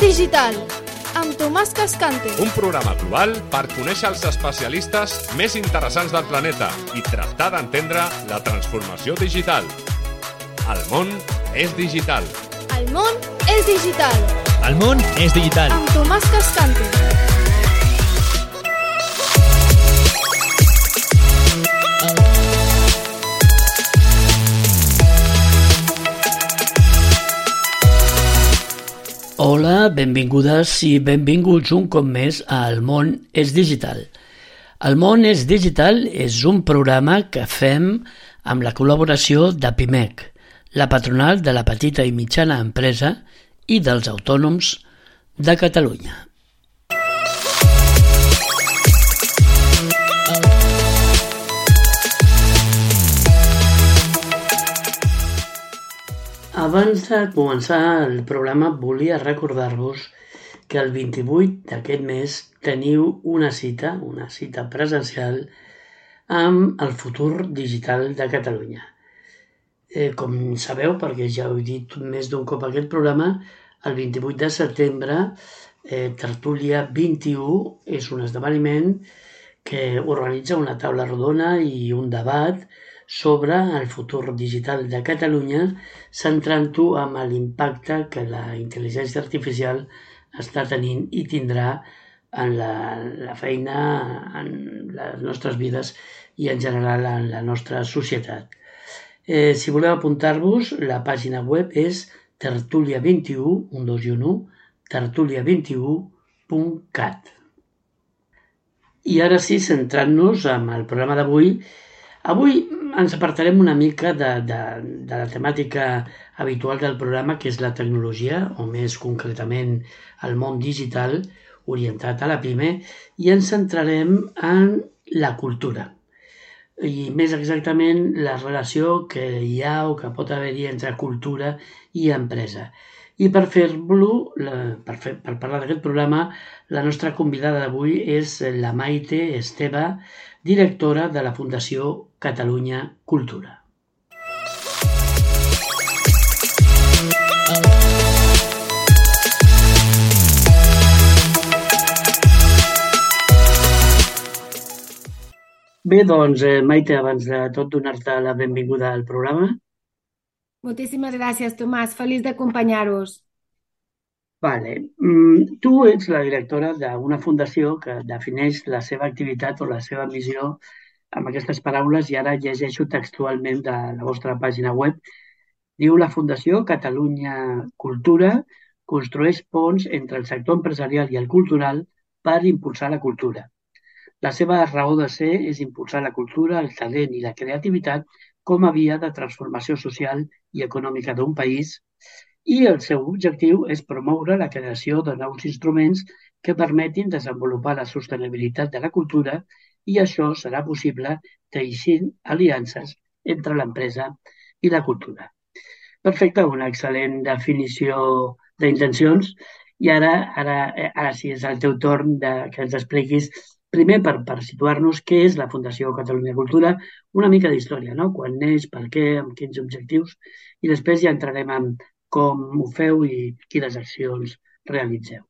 digital, amb Tomàs Cascante. Un programa global per conèixer els especialistes més interessants del planeta i tractar d'entendre la transformació digital. El món és digital. El món és digital. El món és digital. Amb Tomàs Cascante. Hola, benvingudes i benvinguts un cop més a El món és digital. El món és digital és un programa que fem amb la col·laboració de PIMEC, la patronal de la petita i mitjana empresa i dels autònoms de Catalunya. Abans de començar el programa volia recordar-vos que el 28 d'aquest mes teniu una cita presencial amb el futur digital de Catalunya. Com sabeu, perquè ja ho he dit més d'un cop aquest programa, el 28 de setembre Tertúlia 21 és un esdeveniment que organitza una taula rodona i un debat sobre el futur digital de Catalunya, centrant-ho amb l'impacte que la intel·ligència artificial està tenint i tindrà en la feina, en les nostres vides i en general en la nostra societat. Si voleu apuntar-vos, la pàgina web és tertulia21, tertulia21.cat. I ara sí, centrant-nos en el programa d'avui, avui ens apartarem una mica de la temàtica habitual del programa, que és la tecnologia, o més concretament el món digital orientat a la PIME, i ens centrarem en la cultura. I més exactament la relació que hi ha o que pot haver-hi entre cultura i empresa. I per fer-lo, per parlar d'aquest programa, la nostra convidada d'avui és la Maite Esteve, directora de la Fundació Catalunya Cultura. Bé, doncs, Maite, abans de tot donar-te la benvinguda al programa. Moltíssimes gràcies, Tomàs. Feliç d'acompanyar-vos. Vale. Tu ets la directora d'una fundació que defineix la seva activitat o la seva missió amb aquestes paraules, i ara llegeixo textualment de la vostra pàgina web. Diu: la Fundació Catalunya Cultura construeix ponts entre el sector empresarial i el cultural per impulsar la cultura. La seva raó de ser és impulsar la cultura, el talent i la creativitat com a via de transformació social i econòmica d'un país, i el seu objectiu és promoure la creació de nous instruments que permetin desenvolupar la sostenibilitat de la cultura, i això serà possible teixint aliances entre l'empresa i la cultura. Perfecte, una excel·lent definició d'intencions. I ara sí, és el teu torn que ens expliquis, primer per situar-nos, què és la Fundació Catalunya Cultura, una mica d'història, no? Quan neix, per què, amb quins objectius, i després ja entrarem en com ho feu i quines accions realitzeu.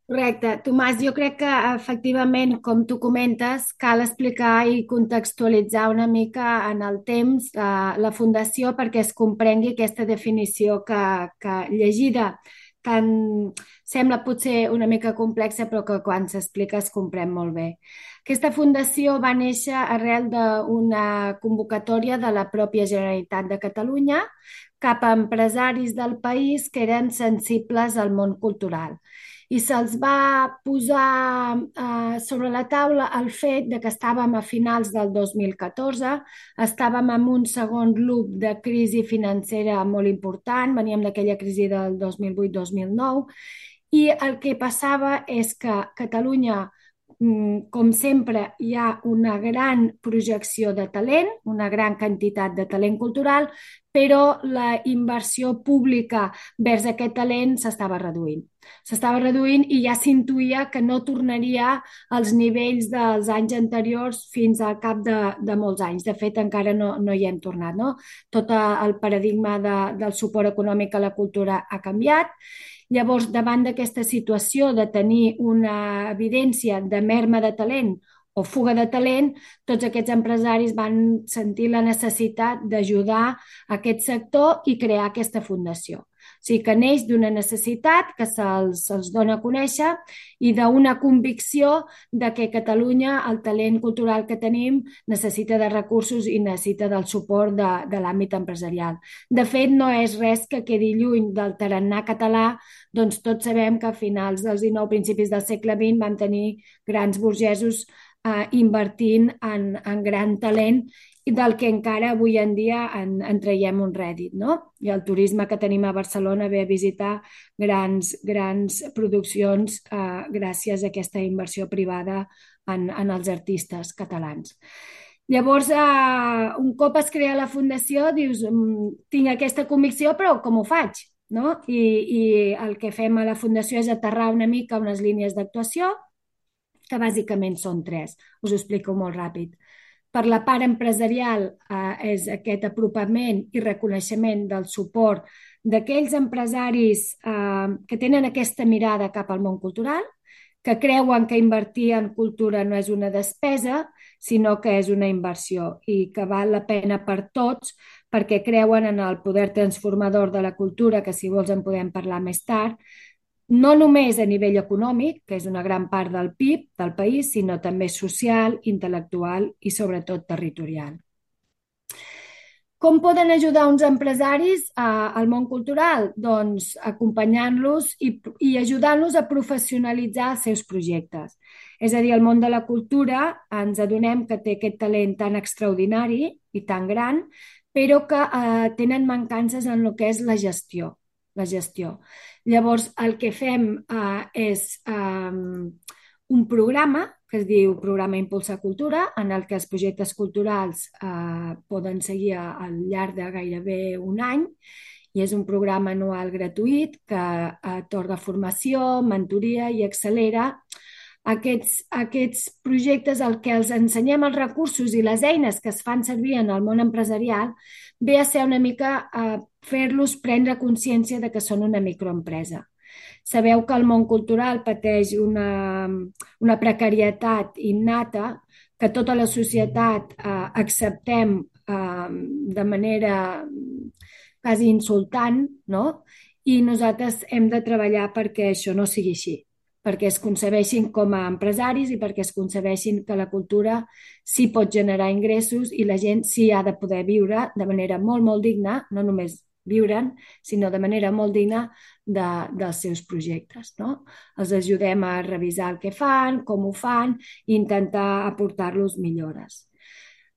Correcte. Tomàs, jo crec que efectivament, com tu comentes, cal explicar i contextualitzar una mica en el temps la Fundació perquè es comprengui aquesta definició que llegida sembla potser una mica complexa, però que quan s'explica es comprèn molt bé. Aquesta fundació va néixer arrel d'una convocatòria de la pròpia Generalitat de Catalunya cap a empresaris del país que eren sensibles al món cultural. I se'ls va posar sobre la taula el fet de que estàvem a finals del 2014, estàvem en un segon loop de crisi financera molt important, veníem d'aquella crisi del 2008-2009, i el que passava és que Catalunya, com sempre, hi ha una gran projecció de talent, una gran quantitat de talent cultural, però la inversió pública vers aquest talent s'estava reduint. S'estava reduint i ja s'intuïa que no tornaria als nivells dels anys anteriors fins al cap de molts anys. De fet, encara no hi hem tornat, no? Tot el paradigma del suport econòmic a la cultura ha canviat. Llavors, davant d'aquesta situació de tenir una evidència de merma de talent o fuga de talent, tots aquests empresaris van sentir la necessitat d'ajudar aquest sector i crear aquesta fundació. O sigui que neix d'una necessitat que se'ls dona a conèixer i d'una convicció de que Catalunya, el talent cultural que tenim, necessita de recursos i necessita del suport de l'àmbit empresarial. De fet, no és res que quedi lluny del tarannà català, doncs tots sabem que a finals del XIX, principis del segle XX, vam tenir grans burgesos invertint en gran talent i del que encara avui en dia en traiem un rèdit, no? I el turisme que tenim a Barcelona ve a visitar grans produccions gràcies a aquesta inversió privada en els artistes catalans. Llavors, un cop es crea la fundació, dius, tinc aquesta convicció, però com ho faig? No? I el que fem a la fundació és aterrar una mica unes línies d'actuació, que bàsicament són 3. Us ho explico molt ràpid. Per la part empresarial és aquest apropament i reconeixement del suport d'aquells empresaris que tenen aquesta mirada cap al món cultural, que creuen que invertir en cultura no és una despesa, sinó que és una inversió i que val la pena per tots perquè creuen en el poder transformador de la cultura, que si vols en podem parlar més tard, no només a nivell econòmic, que és una gran part del PIB del país, sinó també social, intel·lectual i sobretot territorial. Com poden ajudar uns empresaris al món cultural? Doncs acompanyant-los i ajudant-los a professionalitzar els seus projectes. És a dir, el món de la cultura ens adonem que té aquest talent tan extraordinari i tan gran, però que tenen mancances en el que és la gestió. Llavors, el que fem és un programa que es diu Programa Impulsa Cultura, en el que els projectes culturals poden seguir al llarg de gairebé un any, i és un programa anual gratuït que atorga formació, mentoria i accelera aquests projectes. El que els ensenyem els recursos i les eines que es fan servir en el món empresarial ve a ser una mica fer-los prendre consciència de que són una microempresa. Sabeu que el món cultural pateix una precarietat innata que tota la societat acceptem de manera quasi insultant, no? I nosaltres hem de treballar perquè això no sigui així, perquè es concebeixin com a empresaris i perquè es concebeixin que la cultura sí pot generar ingressos i la gent sí ha de poder viure de manera molt, molt digna, no només viure'n, sinó de manera molt digna dels seus projectes, no? Els ajudem a revisar el que fan, com ho fan i intentar aportar-los millores.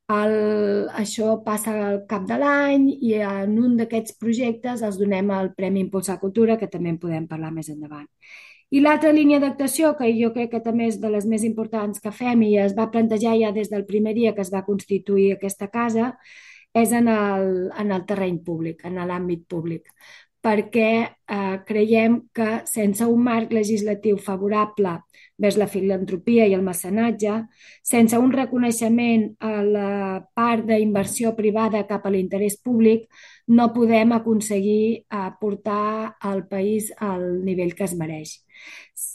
Això passa al cap de l'any i en un d'aquests projectes els donem el Premi Impulsar Cultura, que també en podem parlar més endavant. I l'altra línia d'actuació, que jo crec que també és de les més importants que fem i es va plantejar ja des del primer dia que es va constituir aquesta casa, és en el terreny públic, en l'àmbit públic, perquè creiem que sense un marc legislatiu favorable vers la filantropia i el mecenatge, sense un reconeixement a la part d'inversió privada cap a l'interès públic, no podem aconseguir portar el país al nivell que es mereix.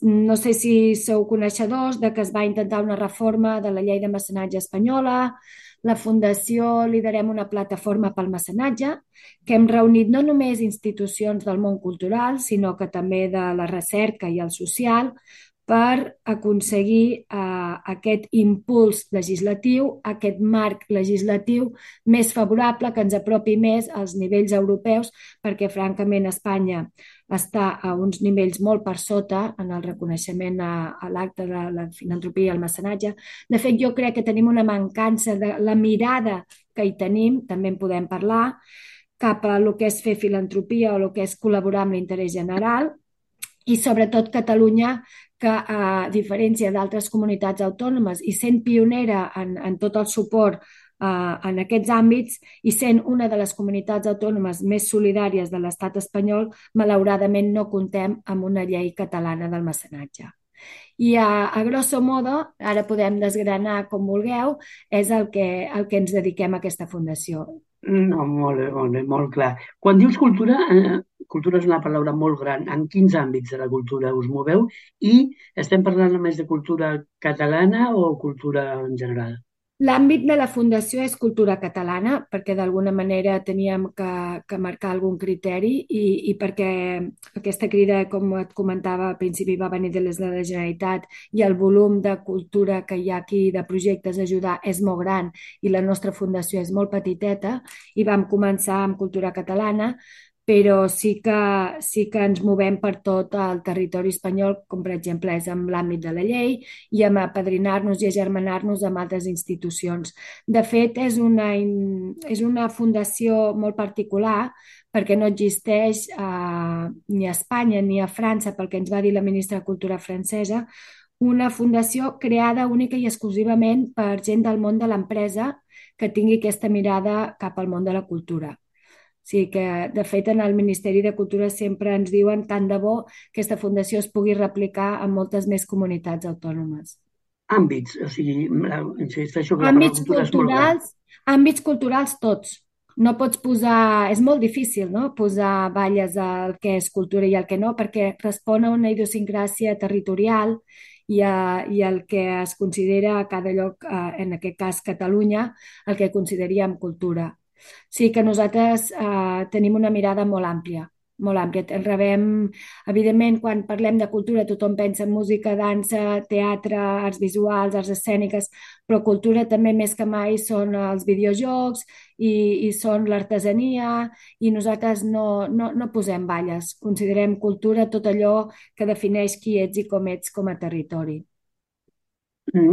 No sé si sou coneixedors de que es va intentar una reforma de la llei de mecenatge espanyola. La Fundació liderem una plataforma pel mecenatge que hem reunit no només institucions del món cultural, sinó que també de la recerca i el social per aconseguir aquest impuls legislatiu, aquest marc legislatiu més favorable que ens apropi més als nivells europeus, perquè francament Espanya està a uns nivells molt per sota en el reconeixement a l'acte de la filantropia i el mecenatge. De fet, jo crec que tenim una mancança de la mirada que hi tenim, també en podem parlar, cap a el que és fer filantropia o el que és col·laborar amb l'interès general, i sobretot Catalunya, que a diferència d'altres comunitats autònomes i sent pionera en tot el suport en aquests àmbits i sent una de les comunitats autònomes més solidàries de l'estat espanyol, malauradament no comptem amb una llei catalana del mecenatge. I a grosso modo, ara podem desgranar com vulgueu, és el que ens dediquem a aquesta fundació. No, molt bé, molt clar. Quan dius cultura, cultura és una paraula molt gran. En quins àmbits de la cultura us moveu? I estem parlant només de cultura catalana o cultura en general? L'àmbit de la fundació és cultura catalana, perquè d'alguna manera teníem que marcar algun criteri i perquè aquesta crida, com et comentava al principi, va venir des de la Generalitat i el volum de cultura que hi ha aquí, de projectes a ajudar, és molt gran i la nostra fundació és molt petiteta i vam començar amb cultura catalana, però sí que ens movem per tot el territori espanyol, com per exemple és en l'àmbit de la llei i amb apadrinar-nos i agermanar-nos amb altres institucions. De fet, és una fundació molt particular perquè no existeix ni a Espanya ni a França, pel que ens va dir la ministra de Cultura francesa, una fundació creada única i exclusivament per gent del món de l'empresa que tingui aquesta mirada cap al món de la cultura. Sí que, de fet, en el Ministeri de Cultura sempre ens diuen tant de bo que aquesta fundació es pugui replicar en moltes més comunitats autònomes. Àmbits, o sigui, insisteixo que la paraula cultura és molt gran. Àmbits culturals tots. No pots posar... És molt difícil, no?, posar balles al que és cultura i al que no, perquè respon a una idiosincràsia territorial i el que es considera a cada lloc, en aquest cas Catalunya, el que consideraríem cultura. Sí que nosaltres tenim una mirada molt àmplia, molt àmplia. Rebem, evidentment, quan parlem de cultura, tothom pensa en música, dansa, teatre, arts visuals, arts escèniques, però cultura també més que mai són els videojocs i són l'artesania i nosaltres no posem balles. Considerem cultura tot allò que defineix qui ets i com ets com a territori.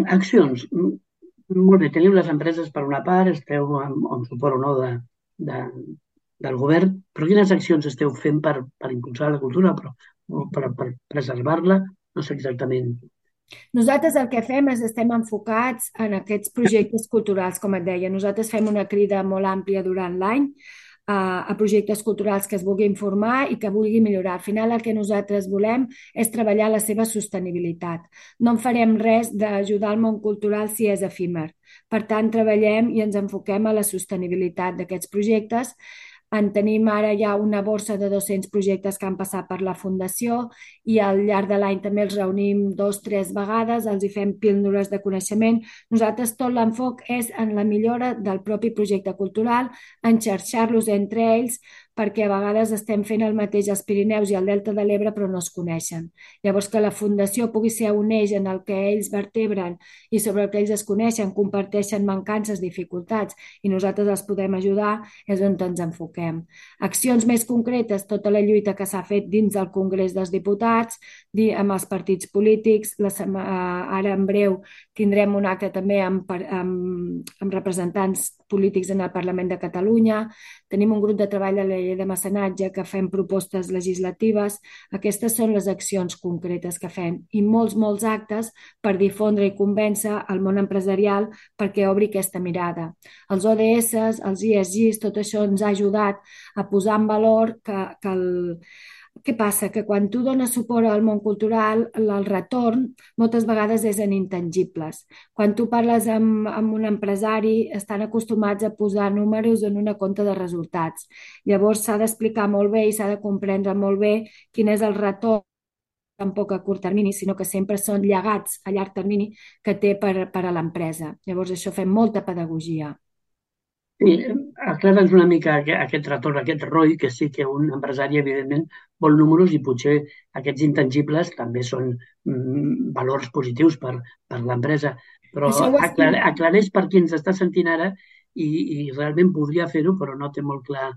Accions. Molt bé, teniu les empreses per una part, esteu amb suport o no del govern, però quines accions esteu fent per impulsar la cultura, o per preservar-la? No sé exactament. Nosaltres el que fem és estem enfocats en aquests projectes culturals, com et deia. Nosaltres fem una crida molt àmplia durant l'any a projectes culturals que es vulguin formar i que vulguin millorar. Al final el que nosaltres volem és treballar la seva sostenibilitat. No en farem res d'ajudar al món cultural si és efímer. Per tant, treballem i ens enfoquem a la sostenibilitat d'aquests projectes. En tenim ara ja una borsa de 200 projectes que han passat per la Fundació i al llarg de l'any també els reunim 2 o 3 vegades, els hi fem píldores de coneixement. Nosaltres tot l'enfoc és en la millora del propi projecte cultural, en xarxar-los entre ells, perquè a vegades estem fent el mateix als Pirineus i al Delta de l'Ebre però no es coneixen. Llavors que la Fundació pugui ser un eix en el que ells vertebren i sobre el que ells es coneixen, comparteixen mancances, dificultats i nosaltres els podem ajudar, és on ens enfoquem. Accions més concretes, tota la lluita que s'ha fet dins del Congrés dels Diputats, amb els partits polítics, ara en breu tindrem un acte també amb representants polítics en el Parlament de Catalunya, tenim un grup de treball a la llei de mecenatge que fem propostes legislatives. Aquestes són les accions concretes que fem i molts actes per difondre i convèncer el món empresarial perquè obri aquesta mirada. Els ODS, els ESGs, tot això ens ha ajudat a posar en valor que què passa? Que quan tu dones suport al món cultural, el retorn moltes vegades és en intangibles. Quan tu parles amb un empresari, estan acostumats a posar números en una compta de resultats. Llavors s'ha d'explicar molt bé i s'ha de comprendre molt bé quin és el retorn, tampoc a curt termini, sinó que sempre són llegats a llarg termini que té per a l'empresa. Llavors això fem molta pedagogia. Sí, aclara'ns una mica aquest retorn, aquest ROI, que sí que un empresari, evidentment, vol números i potser aquests intangibles també són valors positius per l'empresa. Però aclareix per qui ens està sentint ara i realment podria fer-ho, però no té molt clar.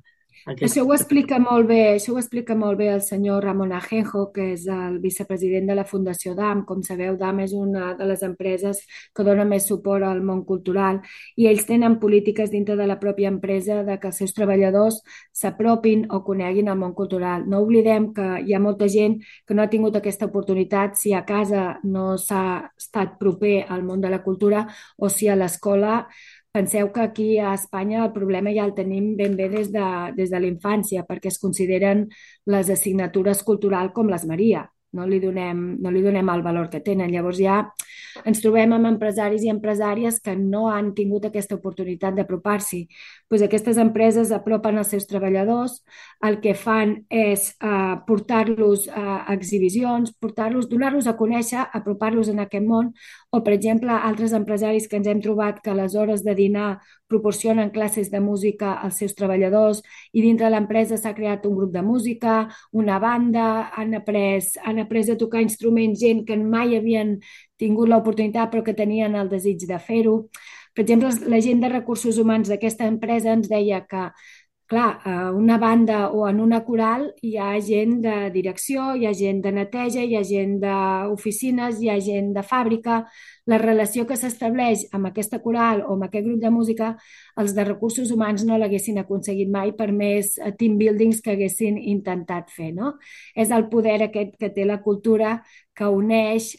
Això ho explica molt bé el senyor Ramon Ajenjo, que és el vicepresident de la Fundació DAM. Com sabeu, DAM és una de les empreses que dona més suport al món cultural i ells tenen polítiques dintre de la pròpia empresa de que els seus treballadors s'apropin o coneguin el món cultural. No oblidem que hi ha molta gent que no ha tingut aquesta oportunitat si a casa no s'ha estat proper al món de la cultura o si a l'escola Penseu que aquí a Espanya el problema ja el tenim ben bé des de la infància, perquè es consideren les assignatures culturals com les Maria. No li donem el valor que tenen. Llavors ja ens trobem amb empresaris i empresàries que no han tingut aquesta oportunitat d'apropar-s'hi. Pues aquestes empreses apropen els seus treballadors, el que fan és portar-los a exhibicions, donar-los a conèixer, apropar-los en aquest món, o, per exemple, altres empresaris que ens hem trobat que a les hores de dinar proporcionen classes de música als seus treballadors i dintre de l'empresa s'ha creat un grup de música, una banda, han après a tocar instruments gent que mai havien tingut l'oportunitat però que tenien el desig de fer-ho. Per exemple, la gent de recursos humans d'aquesta empresa ens deia que, clar, a una banda o en una coral hi ha gent de direcció, hi ha gent de neteja, hi ha gent d'oficines, hi ha gent de fàbrica. La relació que s'estableix amb aquesta coral o amb aquest grup de música, els de recursos humans no l'haguessin aconseguit mai per més team buildings que haguessin intentat fer, no? És el poder aquest que té la cultura que uneix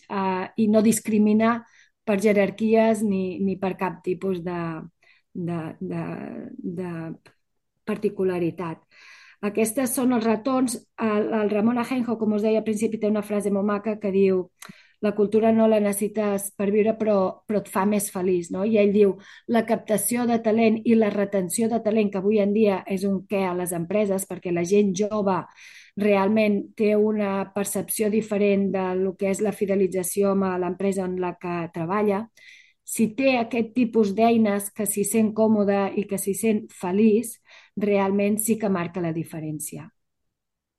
i no discrimina per jerarquies ni per cap tipus de particularitat. Aquestes són els retorns. El Ramon Ajenjo, com us deia al principi, té una frase molt maca que diu: la cultura no la necessites per viure, però et fa més feliç, no? I ell diu: la captació de talent i la retenció de talent, que avui en dia és un què a les empreses, perquè la gent jove realment té una percepció diferent del que és la fidelització amb l'empresa en la que treballa. Si té aquest tipus d'eines que s'hi sent còmode i que s'hi sent feliç, realment sí que marca la diferència.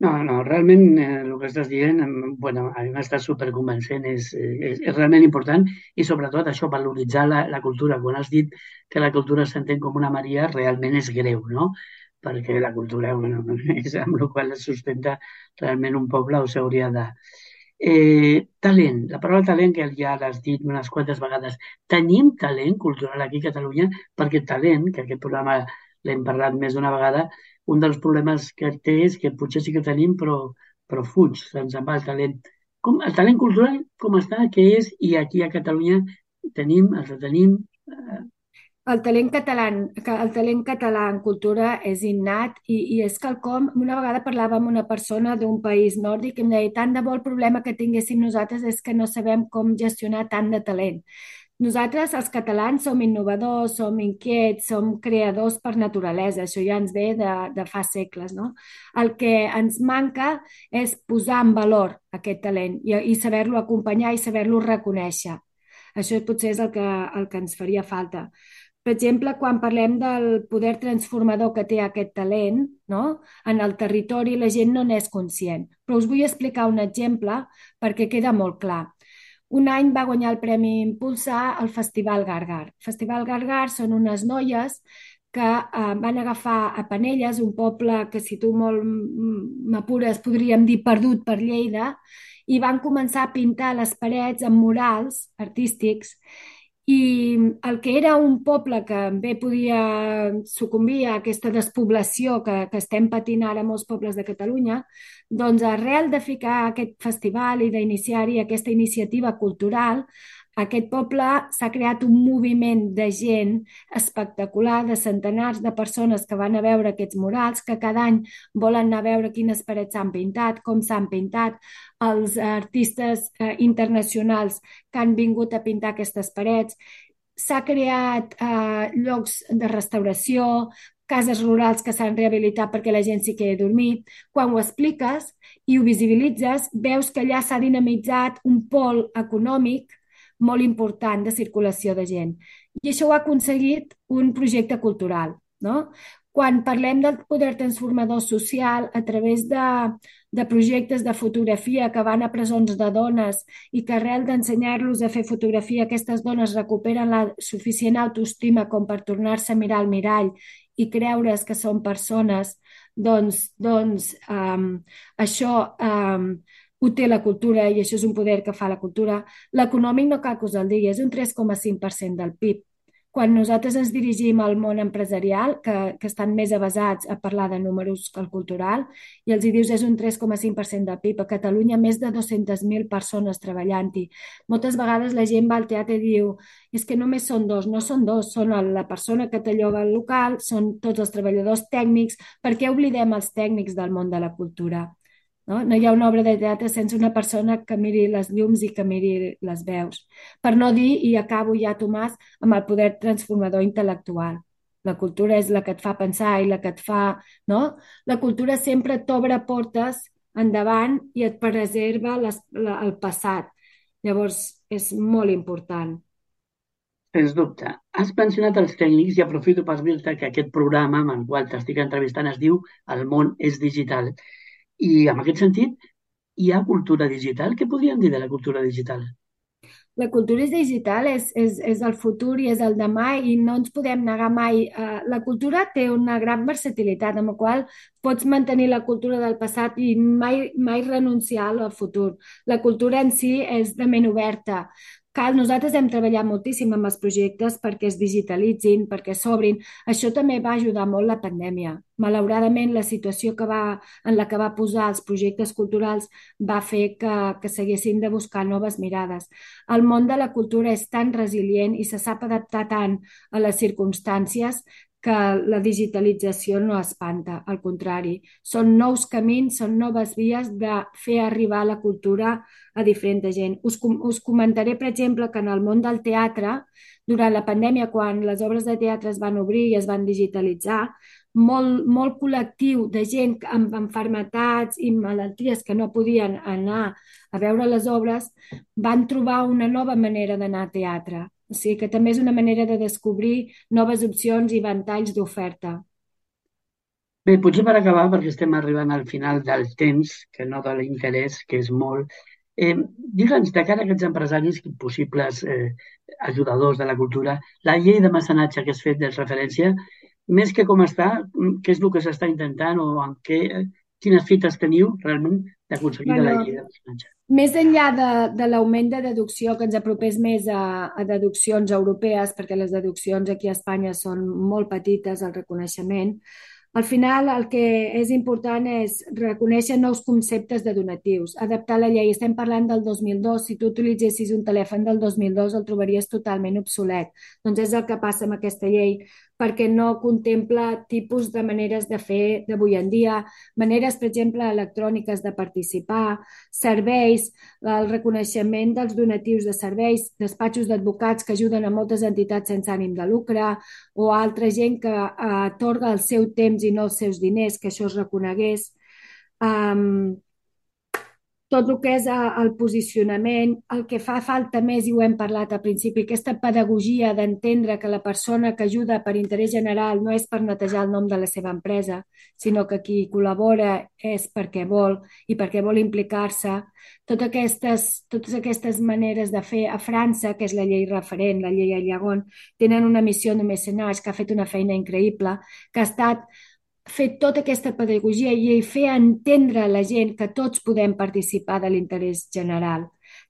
No, realment el que estàs dient, bueno, a mi m'està superconvencent, és realment important i sobretot això, valoritzar la cultura. Quan has dit que la cultura s'entén com una Maria, realment és greu, no? Perquè la cultura, bueno, és amb la qual es sustenta realment un poble o s'hauria de... Talent, la paraula talent que ja l'has dit unes quantes vegades. Tenim talent cultural aquí a Catalunya, perquè talent, que aquest programa l'hem parlat més d'una vegada, un dels problemes que té és que potser sí que tenim, però fuig, se'ns en va el talent. El talent cultural com està, què és, i aquí a Catalunya el tenim. El talent català en cultura és innat i és quelcom. Una vegada parlava amb una persona d'un país nòrdic i em deia: tant de bo el problema que tinguéssim nosaltres és que no sabem com gestionar tant de talent. Nosaltres, els catalans, som innovadors, som inquiets, som creadors per naturalesa. Això ja ens ve de fa segles, no? El que ens manca és posar en valor aquest talent i saber-lo acompanyar i saber-lo reconèixer. Això potser és el que ens faria falta. Per exemple, quan parlem del poder transformador que té aquest talent, no? En el territori la gent no n'és conscient. Però us vull explicar un exemple perquè queda molt clar. Un any va guanyar el Premi Impulsar al Festival Gargar. El Festival Gargar són unes noies que van agafar a Penelles, un poble que, si tu molt m'apures, podríem dir perdut per Lleida, i van començar a pintar les parets amb murals artístics. I el que era un poble que bé podia sucumbir a aquesta despoblació que estem patint ara a molts pobles de Catalunya, doncs arrel de ficar aquest festival i d'iniciar-hi aquesta iniciativa cultural, aquest poble s'ha creat un moviment de gent espectacular, de centenars de persones que van a veure aquests murals, que cada any volen anar a veure quines parets s'han pintat, com s'han pintat, els artistes internacionals que han vingut a pintar aquestes parets. S'ha creat llocs de restauració, cases rurals que s'han rehabilitat perquè la gent s'hi quedi dormit. Quan ho expliques i ho visibilitzes, veus que allà s'ha dinamitzat un pol econòmic molt important de circulació de gent. I això ho ha aconseguit un projecte cultural, no? Quan parlem del poder transformador social a través de projectes de fotografia que van a presons de dones i que arrel d'ensenyar-los a fer fotografia aquestes dones recuperen la suficient autoestima com per tornar-se a mirar al mirall i creure's que són persones, doncs això ho té la cultura i això és un poder que fa la cultura. L'econòmic no cal que us el digui, és un 3,5% del PIB. quan nosaltres ens dirigim al món empresarial, que estan més avesats a parlar de números que el cultural, i els hi dius és un 3,5% del PIB. A Catalunya, més de 200.000 persones treballant-hi. Moltes vegades la gent va al teatre i diu és que només són dos. No són dos, són la persona que te lloga el local, són tots els treballadors tècnics. Per què oblidem els tècnics del món de la cultura? No? No hi ha una obra de teatre sense una persona que miri les llums i que miri les veus. Per no dir, i acabo ja, Tomàs, amb el poder transformador intel·lectual. La cultura és la que et fa pensar i la que et fa... No? La cultura sempre t'obre portes endavant i et preserva el passat. Llavors, és molt important. Sens dubte. Has mencionat els tècnics i aprofito per dir-te que aquest programa amb el qual t'estic entrevistant es diu El món és digital. I en aquest sentit, hi ha cultura digital? Què podríem dir de la cultura digital? La cultura és digital, és el futur i és el demà i no ens podem negar mai. La cultura té una gran versatilitat, amb la qual pots mantenir la cultura del passat i mai renunciar al futur. La cultura en si és de ment oberta. Nosaltres hem treballat moltíssim amb els projectes perquè es digitalitzin, perquè s'obrin. Això també va ajudar molt la pandèmia. Malauradament, la situació en la que va posar els projectes culturals va fer que s'haguessin de buscar noves mirades. El món de la cultura és tan resilient i se sap adaptar tant a les circumstàncies que la digitalització no espanta, al contrari. Són nous camins, són noves vies de fer arribar la cultura a diferent gent. Us comentaré, per exemple, que en el món del teatre, durant la pandèmia, quan les obres de teatre es van obrir i es van digitalitzar, molt col·lectiu de gent amb malalties i malalties que no podien anar a veure les obres, van trobar una nova manera d'anar a teatre. O sigui que també és una manera de descobrir noves opcions i ventalls d'oferta. Bé, potser per acabar, perquè estem arribant al final del temps, que no de l'interès, que és molt, digue'ns, de cara a aquests empresaris possibles ajudadors de la cultura, la llei de mecenatge que has fet de referència, més que com està, què és el que s'està intentant o quines fites teniu realment d'aconseguir de la llei de mecenatge? Més enllà de l'augment de deducció, que ens apropés més a deduccions europees, perquè les deduccions aquí a Espanya són molt petites, el reconeixement, al final el que és important és reconèixer nous conceptes de donatius, adaptar la llei. Estem parlant del 2002, si tu utilitzessis un telèfon del 2002 el trobaries totalment obsolet. Doncs és el que passa amb aquesta llei, perquè no contempla tipus de maneres de fer d'avui en dia, maneres, per exemple, electròniques de participar, serveis, el reconeixement dels donatius de serveis, despatxos d'advocats que ajuden a moltes entitats sense ànim de lucre o altra gent que atorga el seu temps i no els seus diners, que això es reconegués. Tot el que és el posicionament, el que fa falta més, i ho hem parlat al principi, aquesta pedagogia d'entendre que la persona que ajuda per interès general no és per netejar el nom de la seva empresa, sinó que qui col·labora és perquè vol i perquè vol implicar-se. Totes aquestes maneres de fer a França, que és la llei referent, la llei Ayagon, tenen una missió de mecenatge que ha fet una feina increïble, que ha estat fer tota aquesta pedagogia i fer entendre a la gent que tots podem participar de l'interès general.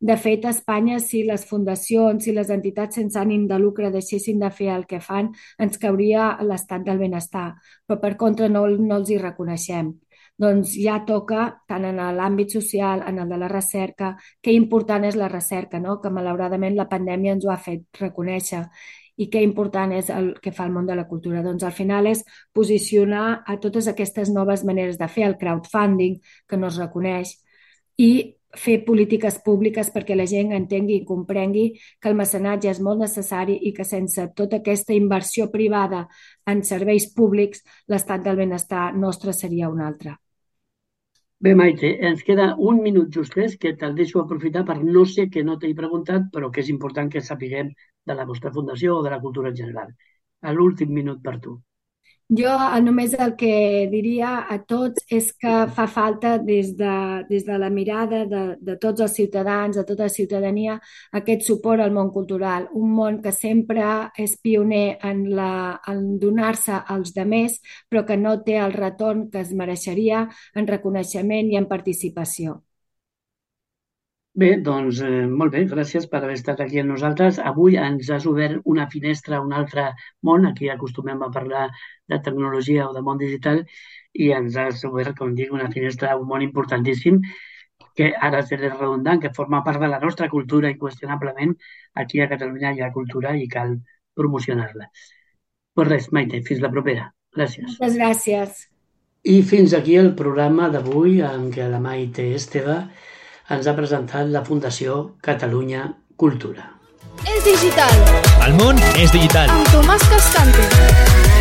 De fet, a Espanya, si les fundacions, si les entitats sense ànim de lucre deixessin de fer el que fan, ens cauria l'estat del benestar, però per contra no els hi reconeixem. Doncs ja toca, tant en l'àmbit social, en el de la recerca, que important és la recerca, no? Que malauradament la pandèmia ens ho ha fet reconèixer. I què important és el que fa el món de la cultura. Doncs al final és posicionar a totes aquestes noves maneres de fer el crowdfunding, que no es reconeix, i fer polítiques públiques perquè la gent entengui i comprengui que el mecenatge és molt necessari i que sense tota aquesta inversió privada en serveis públics, l'estat del benestar nostre seria un altre. Bé, Maite, ens queda un minut justès que te'l deixo aprofitar per no sé que no t'he preguntat, però que és important que sapiguem de la vostra fundació o de la cultura en general. A l'últim minut per tu. Jo només el que diria a tots és que fa falta des de la mirada de tots els ciutadans, de tota la ciutadania, aquest suport al món cultural, un món que sempre és pioner en donar-se als demés, però que no té el retorn que es mereixeria en reconeixement i en participació. Bé, doncs molt bé, gràcies per haver estat aquí amb nosaltres. Avui ens has obert una finestra a un altre món. Aquí acostumem a parlar de tecnologia o de món digital i ens has obert, com dic, una finestra a un món importantíssim que ara seré redundant, que forma part de la nostra cultura inqüestionablement. Aquí a Catalunya hi ha cultura i cal promocionar-la. Pues res, Maite, fins la propera. Gràcies. Moltes gràcies. I fins aquí el programa d'avui en què la Maite Esteve ens ha presentat la Fundació Catalunya Cultura. És digital. El món és digital. Amb Tomàs Cascante.